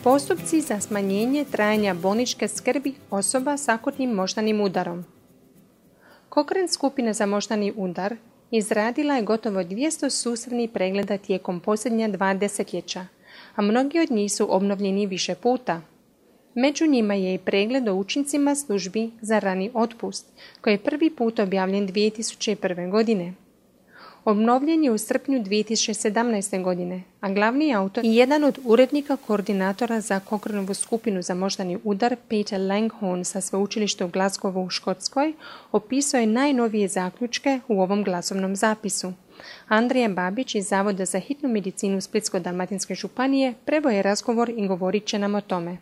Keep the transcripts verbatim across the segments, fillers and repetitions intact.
Postupci za smanjenje trajanja bolničke skrbi osoba s akutnim moždanim udarom. Cochrane skupina za moždani udar izradila je gotovo dvjesto sustavnih pregleda tijekom posljednja dva desetljeća, a mnogi od njih su obnovljeni više puta. Među njima je i pregled o učincima službi za rani otpust, koji je prvi put objavljen dvije tisuće prve. godine. Obnovljen je u srpnju dvije tisuće sedamnaeste. godine, a glavni autor i jedan od urednika koordinatora za Cochranovu skupinu za moždani udar, Peter Langhorne sa sveučilišta u Glasgowu u Škotskoj, opisao je najnovije zaključke u ovom glasovnom zapisu. Andrija Babić iz Zavoda za hitnu medicinu Splitsko-dalmatinske županije preveo je razgovor i govorit će nam o tome.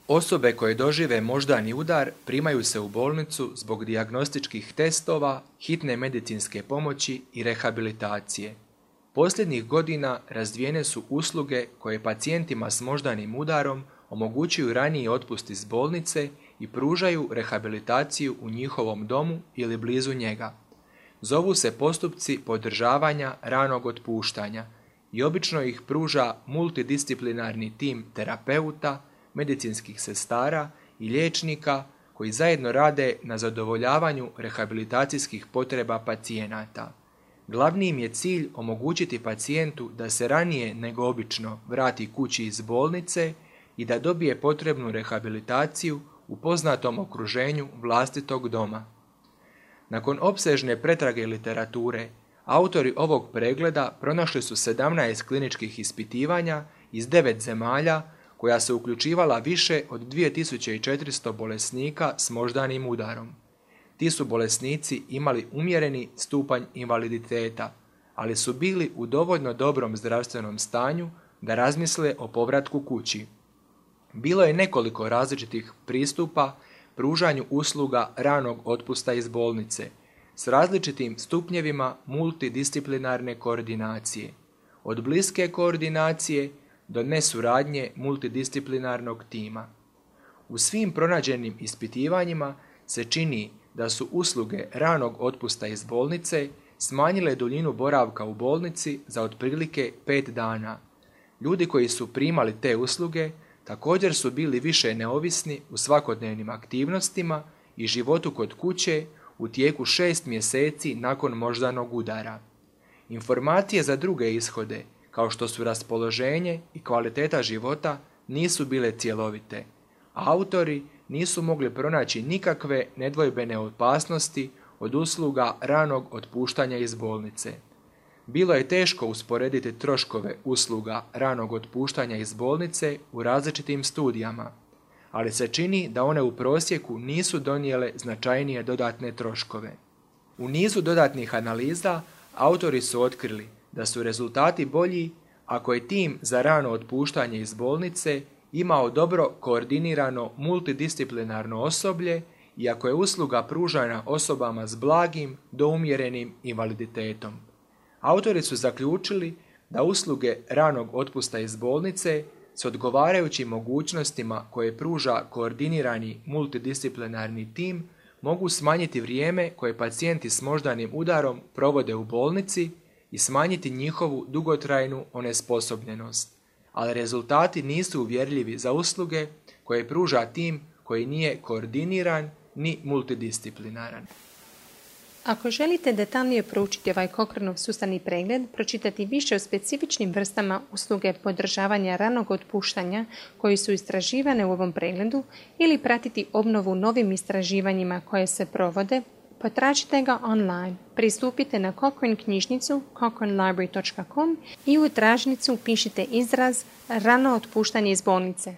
Osobe koje dožive moždani udar primaju se u bolnicu zbog dijagnostičkih testova, hitne medicinske pomoći i rehabilitacije. Posljednjih godina razvijene su usluge koje pacijentima s moždanim udarom omogućuju raniji otpust iz bolnice i pružaju rehabilitaciju u njihovom domu ili blizu njega. Zovu se postupci podržavanja ranog otpuštanja i obično ih pruža multidisciplinarni tim terapeuta, medicinskih sestara i liječnika koji zajedno rade na zadovoljavanju rehabilitacijskih potreba pacijenata. Glavni im je cilj omogućiti pacijentu da se ranije nego obično vrati kući iz bolnice i da dobije potrebnu rehabilitaciju u poznatom okruženju vlastitog doma. Nakon opsežne pretrage literature, autori ovog pregleda pronašli su sedamnaest kliničkih ispitivanja iz devet zemalja koja se uključivala više od dvije tisuće četiristo bolesnika s moždanim udarom. Ti su bolesnici imali umjereni stupanj invaliditeta, ali su bili u dovoljno dobrom zdravstvenom stanju da razmisle o povratku kući. Bilo je nekoliko različitih pristupa pružanju usluga ranog otpusta iz bolnice s različitim stupnjevima multidisciplinarne koordinacije, od bliske koordinacije do nesuradnje multidisciplinarnog tima. U svim pronađenim ispitivanjima se čini da su usluge ranog otpusta iz bolnice smanjile duljinu boravka u bolnici za otprilike pet dana. Ljudi koji su primali te usluge također su bili više neovisni u svakodnevnim aktivnostima i životu kod kuće u tijeku šest mjeseci nakon moždanog udara. Informacije za druge ishode, kao što su raspoloženje i kvaliteta života, nisu bile cjelovite, a autori nisu mogli pronaći nikakve nedvojbene opasnosti od usluga ranog otpuštanja iz bolnice. Bilo je teško usporediti troškove usluga ranog otpuštanja iz bolnice u različitim studijama, ali se čini da one u prosjeku nisu donijele značajnije dodatne troškove. U nizu dodatnih analiza autori su otkrili da su rezultati bolji ako je tim za rano otpuštanje iz bolnice imao dobro koordinirano multidisciplinarno osoblje i ako je usluga pružana osobama s blagim do umjerenim invaliditetom. Autori su zaključili da usluge ranog otpusta iz bolnice s odgovarajućim mogućnostima koje pruža koordinirani multidisciplinarni tim mogu smanjiti vrijeme koje pacijenti s moždanim udarom provode u bolnici i smanjiti njihovu dugotrajnu onesposobljenost, ali rezultati nisu uvjerljivi za usluge koje pruža tim koji nije koordiniran ni multidisciplinaran. Ako želite detaljnije proučiti ovaj Cochranov sustavni pregled, pročitati više o specifičnim vrstama usluge podržavanja ranog otpuštanja koji su istraživane u ovom pregledu ili pratiti obnovu novim istraživanjima koje se provode, potražite ga online. Pristupite na Cochrane knjižnicu cochrane library dot com i u tražnicu pišite izraz rano otpuštanje iz bolnice.